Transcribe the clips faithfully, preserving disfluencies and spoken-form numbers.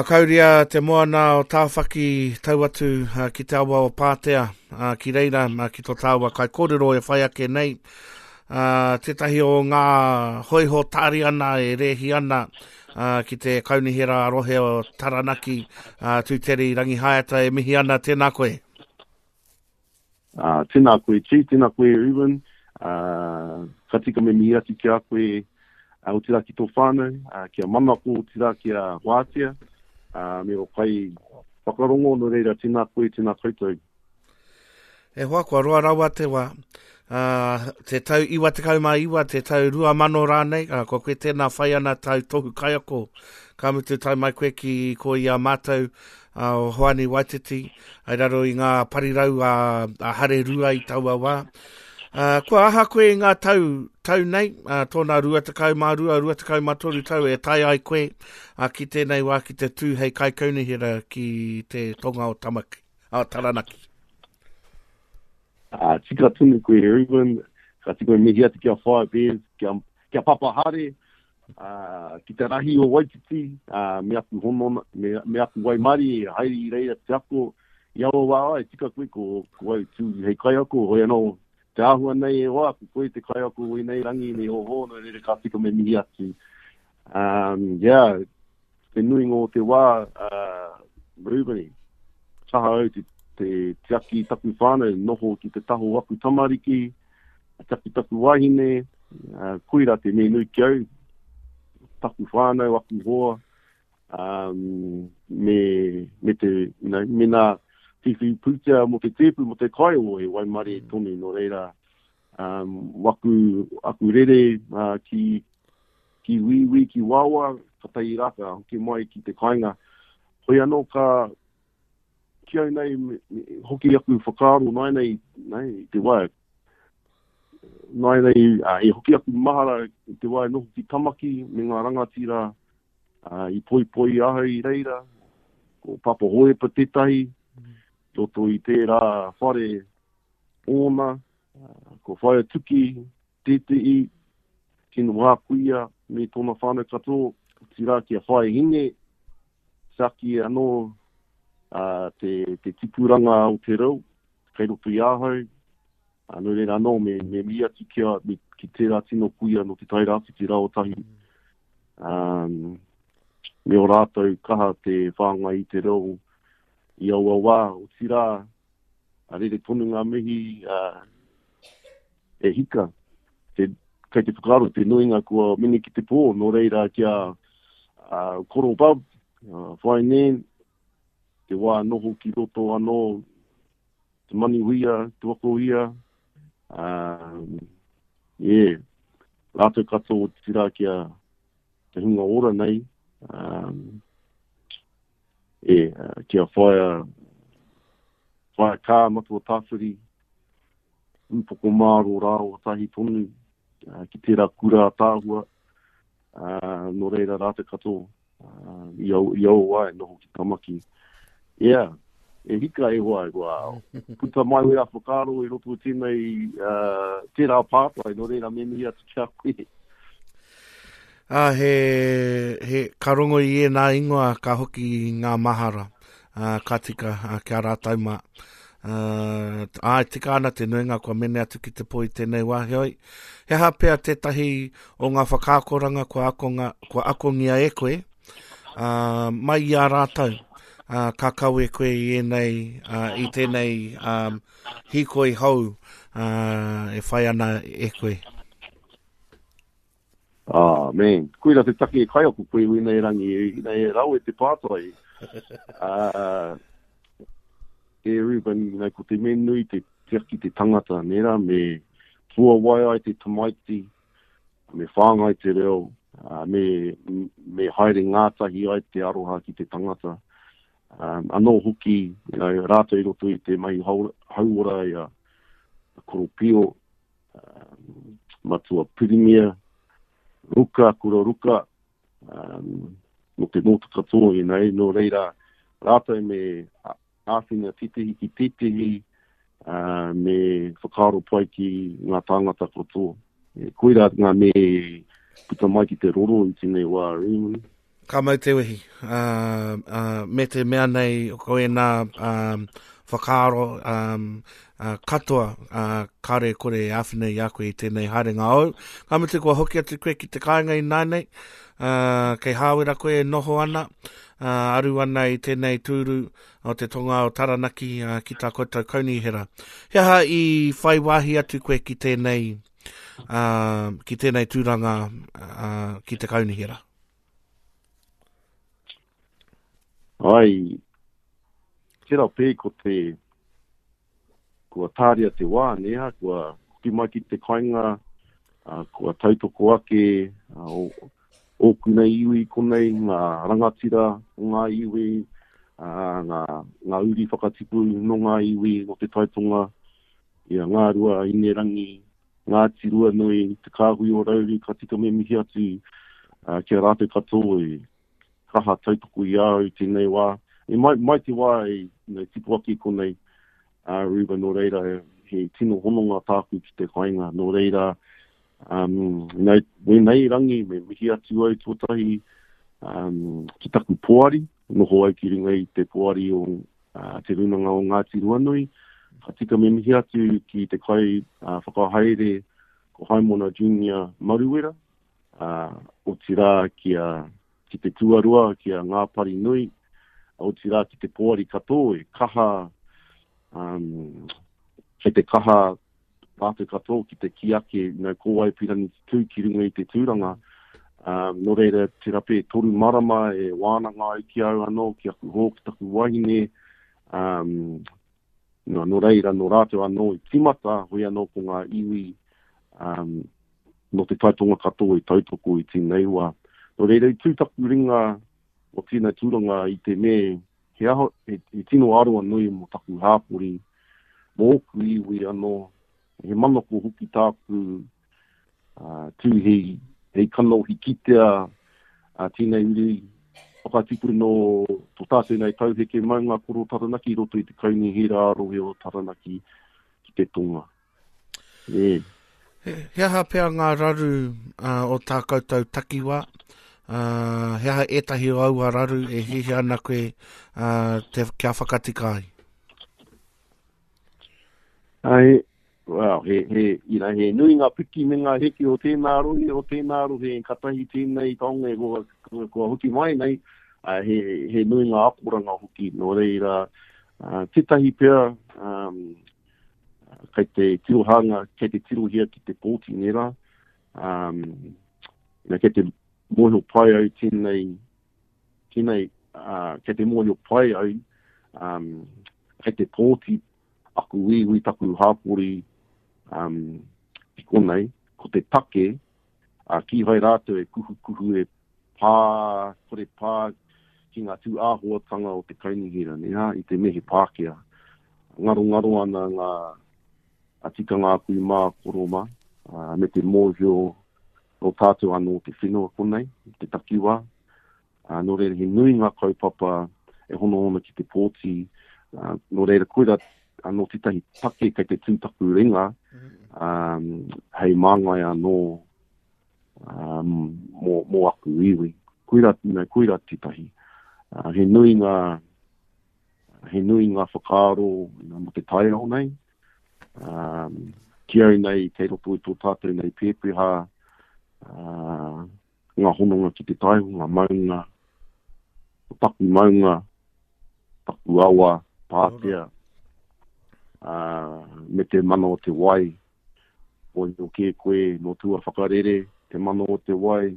Uh, kauria te moana o Tāwhaki tau atu uh, ki te awa o Pātea, uh, ki reira, uh, ki tō tāua kai kōrero e whai ake nei. Uh, tētahi o ngā hoiho tāriana e rēhi ana uh, ki te kaunihera rohe o Taranaki, uh, Tūteri Rangihaeata e mihi ana, tēnā koe. Uh, tēnā koe Chief, tēnā koe Ruben. Uh, ka tika me mihi atu ki a koe, uh, otirā ki tō whānau, uh, kia manako, otirā ki a Wātea, uh, me o kai whakarongo, nō reira, tēnā koe, tēnā koutou. E hoa, kua roa rawa te wā. Uh, te tau iwa tekau mā iwa, te tau rua mano rānei, uh, kua koe tēnā whai ana tau tohu kaiako. Ka mutu tae mai koe ki ko i a mātou uh, o Hoani Waititi, ai raro i ngā parirau a, a Hare Rua i taua wā. Uh, kua aha koe i ngā tau, tau nei, uh, tōna rua tekau mā rua, rua tekau mā toru tau e tae ai koe uh, ki tēnei wā ki te tū hei kaikaunihera ki te tonga o Tamaki, o Taranaki. Uh, tika tonu koe Ruben, ka tika mihi atu ki a Whaea Bears, ki a, ki a Papa Hare, uh, ki te rahi o Waititi, uh, me aku honona, me, me aku waimari e haere i reira te ako, i aua wā ai, tika koe ko, ko au tū hei kaiako, hoi anō, te āhua nei e hoa, ko koe te kaiako i nei rangi, nei oho, nō reira ka tika me mihi atu. Um, yeah, te nuinga o te wā, uh, Ruben, kaha au te, te tiaki taku whānau, noho ki te taho aku tamariki, tiaki taku wahine, uh, koira te mea nui ki au, taku whānau, aku hoa, um, me, me te, you know, me nā whiwhi pūtea mō te tēpu, mō te kai o he waimare tonu, nō reira, um, waku, aku rere uh, ki, ki wīwī, ki wawa, ka tai rā, ka hoki mai ki te kāinga. Hoi anō ka, ki au nei, me, me, hoki aku whakaaro nai nei, nei, i te wā, nai nei, uh, e hoki aku mahara i te wā e noho ki Tamaki me ngā rangatira uh, i poipoi ahau i reira, ko Papa Hoepa tētahi, roto i tērā whare ōna, uh, ko Whaea Tuki, tētehi, tino wā kuia me tōna whānau katoa, otirā ki a Whaea Hine, tiaki anō uh, te, te tipuranga o te reo, kei roto i ahau, uh, nō reira anō me, me mihi atu ki, a, me, ki tērā tino kuia no te Tairāwhiti Raotahi. Um, me o rātou kaha te whāngai i te reo i aua wā, otirā, a rere tonu ngā mihi uh, e hika. Te, kei te whakaaro te nuinga kua mene ki te pō, nō reira kia uh, koro bub, uh, whai nen, te wā noho ki roto anō, te manihuia, te wakohia, um, yeah, rātou katoa otirā kia te hunga ora nei, um, e, uh, kia whaia, whaia kā matua tāwhiri, ūpoko māro rā o tahi tonu, uh, ki tērā kura ātaahua, uh, nō reira rātou katoa, uh, i au, i au wā e noho ki Tamaki. Yeah, e hika e hoa, e hoa. Puta mai wera whakaaro i roto i tēnei, uh, tērā pātai, nō reira me mihi atu ki a koe. Ah, he, he, ka rongo i ēnā ingoa ka hoki ngā mahara, uh, ka tika uh, kia rātou mā. Uh, ai, tika ana te nuinga kua mene atu ki te pō i tēnei wā, heoi. He aha pea tētahi o ngā whakaakoranga kua, akonga, kua akongia e koe, uh, mai i a rātou, uh, ka kawe koe i ēnei, uh, i tēnei um, hīkoi hou uh, e whai ana e koe. Ah, man. Koira te take e kaiako koe i nei rangi, i nei rawe te pātai. Uh, e Ruben, you know, ko te mea nui te tiaki te tangata, nera, me puawai ai te tamaiti, me whāngai te reo, uh, me, me haere ngātahi ai te aroha ki te tangata. Um, anō hoki, you know, rātou i roto i te mahi hauora i a Koropio, um, Matua Pirimia, Ruka, Kura Ruka, um, no te mōta katoa, you know, nō reira rātou me āwhina tētehi ki tētehi, uh, me whakaaro pai ki ngā tāngata katoa. E, koira ngā me puta mai ki te roro i tēnei wā, Raymond. Ka mau te wehi. Uh, uh, me te mea nei ko ēnā um, whakaaro um, uh, katoa uh, kare kore e āwhina i a koe i tēnei haerenga au. Ka mutu kua hoki atu koe ki te kāinga i nānei, uh, kei Hāwera koe e noho ana, uh, aru ana i tēnei tūru o te tonga o Taranaki uh, ki tā koutou kaunihera. He aha i whai wāhi atu koe ki tēnei, uh, ki tēnei tūranga uh, ki te kaunihera? Ai, tērā pē ko te, kua tāria te wā, neha, kua hoki mai ki te kainga, uh, kua tautoko ake, uh, o, ōku nei iwi konei, ngā rangatira o ngā iwi, uh, ngā, ngā uri whakatipu no ngā iwi o te taitonga, ia ngā rua inerangi, Ngāti Ruanui, te kāhui o Rauru, ka tika me mihi atu uh, ki a rātou katoa e kaha tautoko i au tēnei wā. E mai, mai te wā e you tipu ake konei, uh, Ruben, nō reira, he, he tino hononga tāku ki te kainga. Nō reira, um, nei, wēnei rangi, me mihi atu au tuatahi um, ki taku poari, noho au ki runga i te poari o uh, Te Rūnanga o Ngāti Ruanui. Ka tika me mihi atu ki te kai uh, whakahaere ko Haimona Junior Maruera, uh, o tira ki a ki te tuarua, ki a Ngā Pari Nui, o tira ki te poari katoa e kaha, um, kei te kaha rātou katoa ki te ki ake, you know, ko wai pirangi tū ki runga i te tūranga. Um, nō reira, te rape toru marama e wānanga ai ki au anō, ki aku hō, ki taku wahine. Um, nō, nō reira, nō rātou anō i tīmata, hoi anō ko ngā iwi um, nō te taitonga katoa i tautoko i tēnei wā. Nō reira, i tū taku ringa o tēnei tūranga i te me, he, aho, he, he tino aroa nui mō taku hāpori, mō ōku iwi anō, he manako hoki tāku uh, tū hei, hei kanohi kitea uh, tēnei uri whakatipu no tō tātou nei tauheke maunga koro Taranaki i roto i te kaunihera ā-rohe o Taranaki ki te tonga. E. He, he aha pea ngā raru uh, o tā koutou takiwā? Uh, he aha ētahi o aua raru e hiahia ana koe uh, te, kia whakatika ai? Ai, well, he, he, you know, he nui ngā piki me ngā heke o tēnā rohe, o tēnā rohe, katahi tēnei taonga e kua, kua, kua hoki mai nei, uh, he, he nui ngā akoranga hoki, nō reira, uh, tētahi pea, um, kei te tirohanga, kei te tirohia ki te pōti nera, um, you know, kei te mōhio pai au tēnei, tēnei, uh, kei te mōhio pai au, um, kei te pōti aku iwi, taku hāpori, um, ki konei, ko te take, uh, kīhai rātou e kuhukuhu e pā, kore pā ki ngā tū āhuatanga o te kaunihera, ne, ha, i te mehe Pākehā. Ngaro ngaro ana ngā a tikanga aku i mā koro mā, uh, me te mōhio o tātou anō te whenua konei, te takiwā. Uh, nō reira, he nui ngā kaupapa e hono ona ki te pōti, uh, nō reira, koira anō tētahi take kei te tū taku ringa, um, hei māngai anō um, mō, mō aku iwi. Koira, you know, koira tētahi. Uh, he nui ngā, he nui ngā whakaaro you know, mō te taiao nei. Um, ki au nei, kei roto i tō tātou nei pēpeha, uh, ngā hononga ki te taiao, ngā maunga, ko taku maunga, taku awa, pātea, uh, me te mana o te wai. Oi no kē koe, no tua whakarere, te mana o te wai,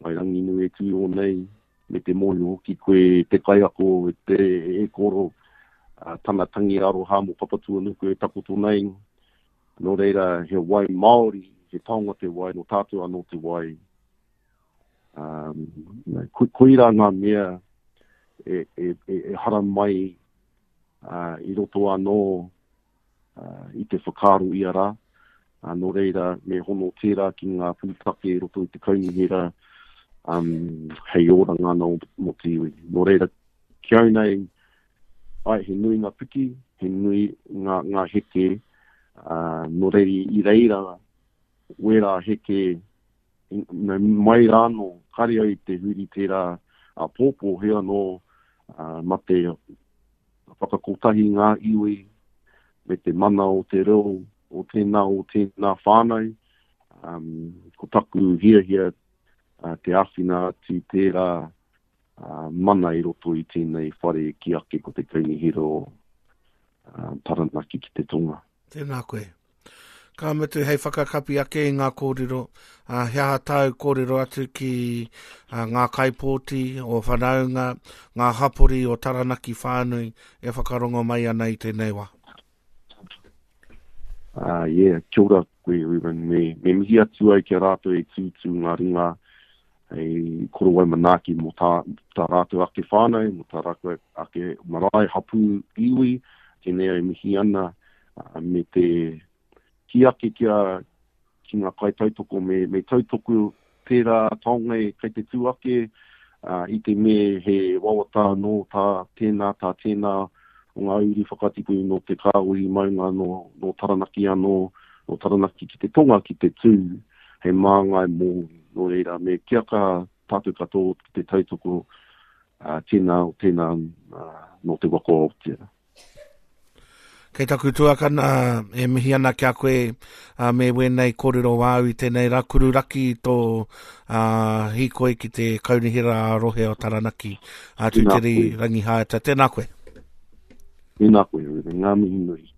mai Ranginui e tū nei, me te mōhio hoki koe te kaiako, e te e koro, uh, tana tangi aroha mō Papatūānuku e takoto nei. Nō reira, he wai Māori, he taonga te wai, nō tātou anō te wai. Um, ko, koira ngā mea e, e, e, e hara mai uh, i roto anō uh, i te whakaaro ia rā. Uh, nō reira, me hono tērā ki ngā pūtake i roto i te kaunihera um, hei oranga anō mō te iwi. Nō reira, ki au nei, ai, he nui ngā piki, he nui ngā, ngā heke, uh, nō reira i reira, wērā heke, mai rānō, kare au i te huri tērā āpōpō, he anō uh, ma te whakakotahi ngā iwi me te mana o te reo o tēnā o tēnā whānau. Um, ko taku hiahia uh, te āwhina atu tērā uh, mana i roto i tēnei whare ki ake ko te kaunihera o uh, Taranaki ki te tonga. Tēnā koe. Ka mutu hei whakakapi ake i ngā kōrero, uh, he aha tāu kōrero atu ki uh, ngā kaipōti o whanaunga, ngā hapori o Taranaki whānui e whakarongo mai ana i tēnei wā. Uh, yeah, kia ora koe, Ruben. Me, me mihi atu ai kia rātou e tūtū ngā ringa hei korowai manaaki mō tā, tā rātou ake whānau, mō tā rātou ake marae, hapū, iwi, tēnei ai mihi ana, uh, me te ki ake kia, ki ngā kai tautoko, me, me tautoko tērā taonga e kei te tū ake, uh, i te me he wawata nō tā tēnā, tā tēnā, o ngā uri whakatipu nō te kāhui maunga nō, nō Taranaki anō, nō Taranaki ki te tonga ki te tū, hei māngai mō, nō reira, me kia ka tātou katoa ki te tautoko uh, tēnā o tēnā uh, nō te waka o Aotea. Kei taku tuakana e mihi ana kia koe uh, me wēnei kōrero wāu i tēnei rā kururaki tō uh, hīkoi ki te kaunihera a rohe o Taranaki. Uh, Tūteri Rangihaeata, tēnā koe. Tēnā koe, Ruben, ngā mihi nui.